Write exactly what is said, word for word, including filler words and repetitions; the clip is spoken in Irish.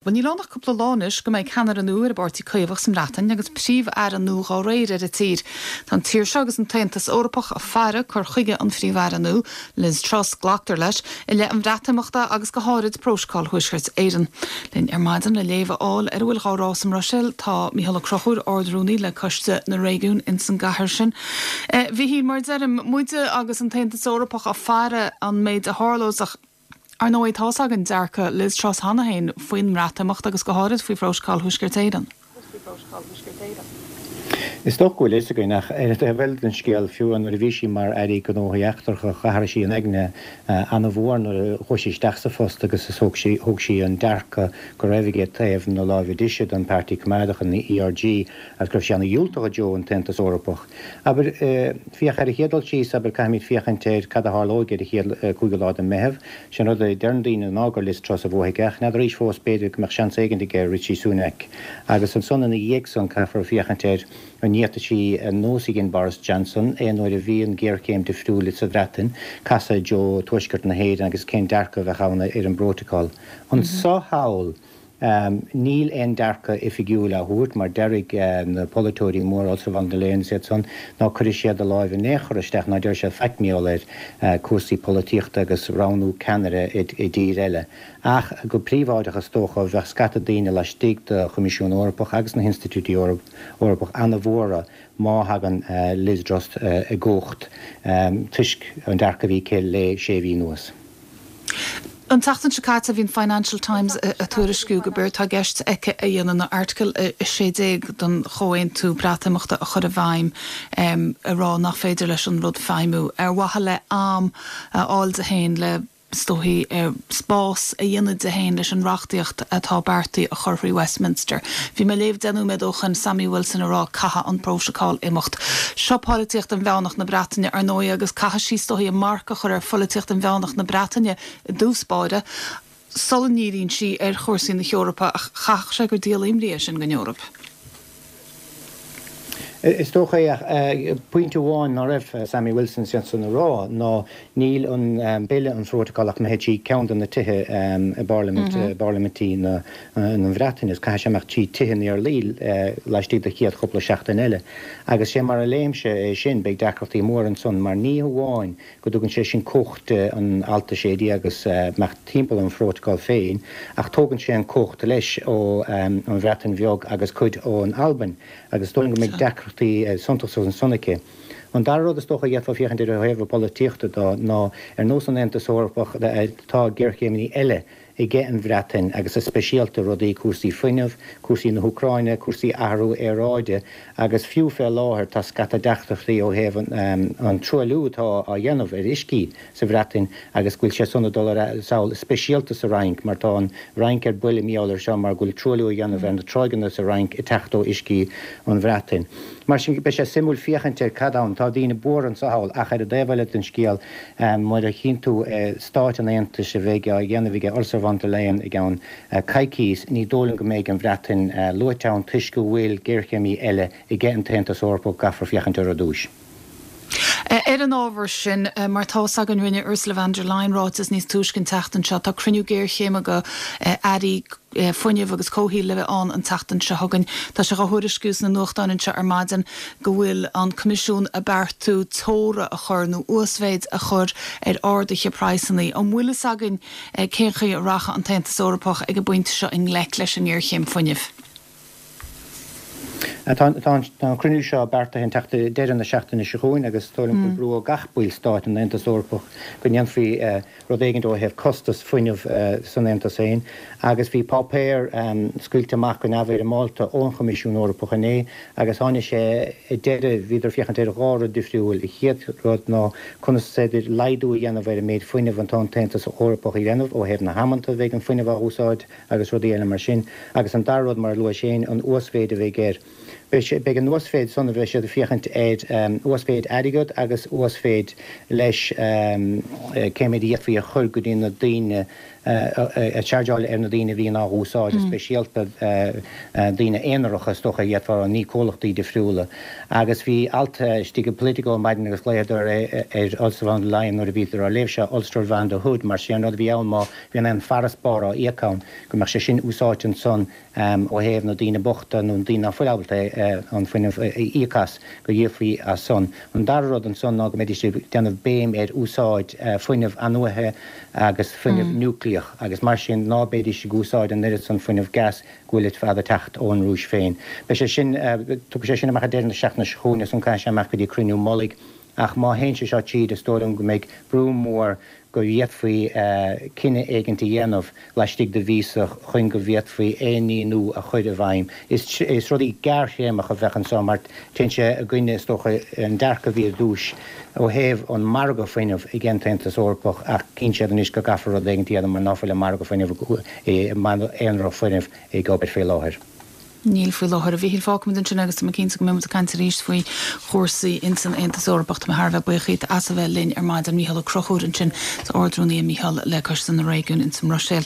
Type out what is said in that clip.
Bhuel, níl ann ach cúpla lá anois go mbeidh ceannaire nua ar an bPáirtí Caomhach sa mBreatain agus Príomh-Aire nua dá réir ar an tír. Tá an tír seo agus an tAontas Eorpach ag faire cur chuige an Phríomh-Aire nua, Liz Truss, glactar leis, i leith an Bhreatimeachta agus go háirid Prótocol Thuaisceart Éireann. Linn ar maidin le léamh a fháil ar a bhfuil á rá sa mBruiséil tá Mícheál Ó Conchúir, Ard-Rúnaí le Coiste na Réigiún ins an gcathair sin. A Mhíchíl, mar deirim, muide agus an tAontas Eorpach ag faire an méid a tharlós ach Ar ndóigh tá's againn dearcadh Liz Truss cheana féin faoin mBreatimeacht agus go háirid faoi Phrótacal Thuaisceart Éireann. Is dócha go bhfuil fhios againn ach ar an taobh eile den scéal, fiú nuair a bhí sí mar Aire Gnóthaí Eachtracha, d'athraigh sí an aigne an-mhór nuair a chuaigh sí isteach sa phost agus is thóg sí thóg sí an dearcadh go raibh aige taobh na láimhe deise den Páirtí Coimeádach an E R G agus go raibh sí ana-dhiúltach i dtreo an tAontas Eorpach. Abair, féach ar an chéad dul síos, abair, caithfimid féachaint ar cad a tharlóidh ar an chéad cúigiú lá de Meitheamh. Sin rud a deireann daoine ná gur Liz Truss a bhuafaidh ach n'fheadar arís fós b'fhéidir go mbeadh seans éigin aige Rishi Sunak. Agus ansan ina dhiaidh san caithfear féachaint ar an bhféadfaidh sí an nós a dhein Boris Johnson aon uair a bhí an ghéarchéim difriúil sa Bhreatain casadh i dtreo Tuaisceart na hÉireann agus cén dearcadh a bheadh ann ar an bprótacal. Anso thall, níl aon dearcadh oifigiúil á thabhairt mar déarfaidh na polaiteoirí móra, Ursula von der Leyen is iad san, ná cuirfidh siad a láimh in aon chor isteach ná déarfaidh siad faic mar gheall ar cúrsaí polaitíochta agus roghnú ceannaire i dtír eile. Ach go príobháideach is dócha bheadh scata daoine laistigh de Choimisiún Eorpach agus na hinstitiúidí Eorpach ana-bhuartha má thagann Liz Truss i gcumhacht toisc an dearcadh a bhí aici le sé mhí anuas. An tseachtain seo caite bhí an Financial Times ag tuairisciú gurb éard atá i gceist aici a dhéanamh ná Airteagal a sé déag den chomhaontú Breatimeachta a chur i bhfeidhm, a rá nach féidir leis an rud feidhmiú ar mhaithe le am a fháil di féin le is dóichí spás a dhéanamh di féin leis an reachtaíocht atá beartaithe a chur thrí Westminster. Bhí mé ag léamh deich nóiméad ó shin Sammy Wilson ag rá caithfidh an prótacal imeacht. Seo polaitíocht inmheánach na Breataine ar ndóigh agus caithfidh sí is dóichí a marc a chur ar pholaitíocht inmheánach na Breataine i dtús báire sula ndíríonn sí ar chúrsaí na hEorpa ach chaithfeadh sé gur díol imní é sin don Eoraip. Is dócha é ach pointe amháin ná raibh Sammy Wilson san a rá ná níl an bille an phrótacal ach imithe trí ceann de na tithe i bparlaimint bparlaimintí na na Breataine is caithfidh sé imeacht trí tithe na Iarlaí laistigh de chéad chúpla seachtain eile. Agus sé mar a léimse é sin beidh deacrachtaí mór ansan mar ní hamháin go dtugann sé sin cumhacht an alt a sé déag agus imeacht timpeall an phrótacal féin ach tógann sé an cumhacht leis ó an Bhreatain Bheag agus cuid ón Albain agus dóigh go mbeidh deacrachtaí suntasacha ansan aici. An dara rud is dócha d'fhéadfá féachaint ar thaobh polaitíochta dó ná ar nós an Aontas Eorpach tá géarchéimeanna eile aige an Bhreatain agus is speisialta rudaí cúrsaí fuinnimh, cúrsaí na hÚcráine, cúrsaí athrú aeráide agus fiú fé láthair tá scata deacrachtaí ó thaobh an truailliú atá á dhéanamh ar uiscí sa Bhreatain agus go bhfuil sé san ag dul ar sall speisialta sa Fhrainc mar tá an Fhrainc ar buile mar gheall air seo mar go bhfuil truailliú á dhéanamh ar na tráigheanna sa Fhrainc ag teacht ó uiscí an Bhreatain. Mar sin beidh sé suimiúil féachaint ar cad ann tá daoine buartha anso thall ach ar an dtaobh eile den scéal mar a chíonn tú Stáit an Aontais a bheidh á dhéanamh aige Ursula von der Leyen i gceann coicíos ní dóigh liom go mbeidh an Bhreatain luaite ann toisc go bhfuil géarchéimeanna eile aige an tAontas Eorpach caithfear féachaint ar dtús. Ar an ábhar sin mar tá's againn rinne Ursula von der Leyen ráiteas níos túisce an tseachtain seo tá cruinniú géarchéime go airí fuinnimh agus comhshaoil le bheith ann an tseachtain seo chugainn. Tá sé á thuairisciú sna nuachtáin anseo ar maidin go bhfuil an Coimisiún ag beartú teora a chur nó uasmhéid a chur ar arduithe praghsanna. An bhfuil fhios againn cén chaoi a rachaidh an tAontas Eorpach ag an bpointe seo i ngleic leis an ngéarchéim fuinnimh. Tá an cruinniú seo beartaithe an teacht deireadh na seachtaine seo chugainn agus tá brú ó gach ballstát an Aontas Eorpach go ndéanfaí rud éigin ó thaobh costas fuinnimh san Aontas féin agus bhí páipéar scaoilte amach go neamhfhoirmeálta ón Choimisiún Eorpach inné agus tháinig sé i deireadh bhíodar féachaint ar dhá rud difriúil a chéad rud ná conas is féidir laghdú a dhéanamh ar an méid fuinnimh atá an tAontas Eorpach a dhéanamh ó thaobh na hamanta bheidh an fuinneamh á úsáid agus rudaí eile mar sin agus an dara rud mar a luaigh sé an uasmhéid a bheidh air. Beidh an uasmhéid san a bheidh siad féachaint ar uasmhéid airgead agus uasmhéid leis cé méid a d'fhéadfaí a chur go dtí na daoine a chargeáil ar na daoine a bhíonn á úsáid, speisialta daoine aonaracha is dócha iad fá ní comhlachtaí difriúla. Agus bhí alt istigh i Politico maidin agus glaodar ar Ursula von der Leyen nuair a bhíodar á léamh seo Ulster van der Hood mar sé an rud a bhí ann má bhíonn aon farasbarr á íoc ann go mbeadh sé sin úsáidte ansan ó thaobh na daoine bochta nó daoine nach bhfuil ábalta an fuinneamh a íoc as go dhíolfaí as san. An dara rud ansan ná go mbeidís ag déanamh béim ar úsáid fuinneamh athnuaite agus fuinneamh núicléach agus mar sin ná beidís ag úsáid an oiread san fuinneamh gas go bhfuil fad ag teacht ón Rúis féin. Beidh sé sin tugfaidh sé sin amach deireadh na seachtaine seo chugainn is an caithfidh sé amach go dtí cruinniú mullaigh ach má théann sé seo tríd is dóigh liom go mbeidh brú mór go bhféadfaí cinneadh éigin a dhéanamh laistigh de mhíosa chun go bhféadfaí aon ní nua a chur i bhfeidhm. Is, is rudaí gearrthéarmacha a bheadh anseo mar téann sé i gcoinne is dócha an dearcadh a bhí ar dtús ó thaobh an margadh fuinnimh ag an Aontas Eorpach ach cíonn siad anois go gcaithfear rud éigin a dhéanamh mar ná fuil an margadh fuinnimh aonrach fuinnimh ag obair faoi láthair. Níl faoi láthair a Mhíchíl fágfaimid ansin agus tá cinnte go mbeimid ag caint arís faoi chúrsaí insan Aontas Eorpach tá thar a bheith buíoch as a bheith linn ar maidin Mícheál Ó Conchúir ansin sa Ardrúnaí Mícheál le Coiste na Réigiún insan mBruiséil.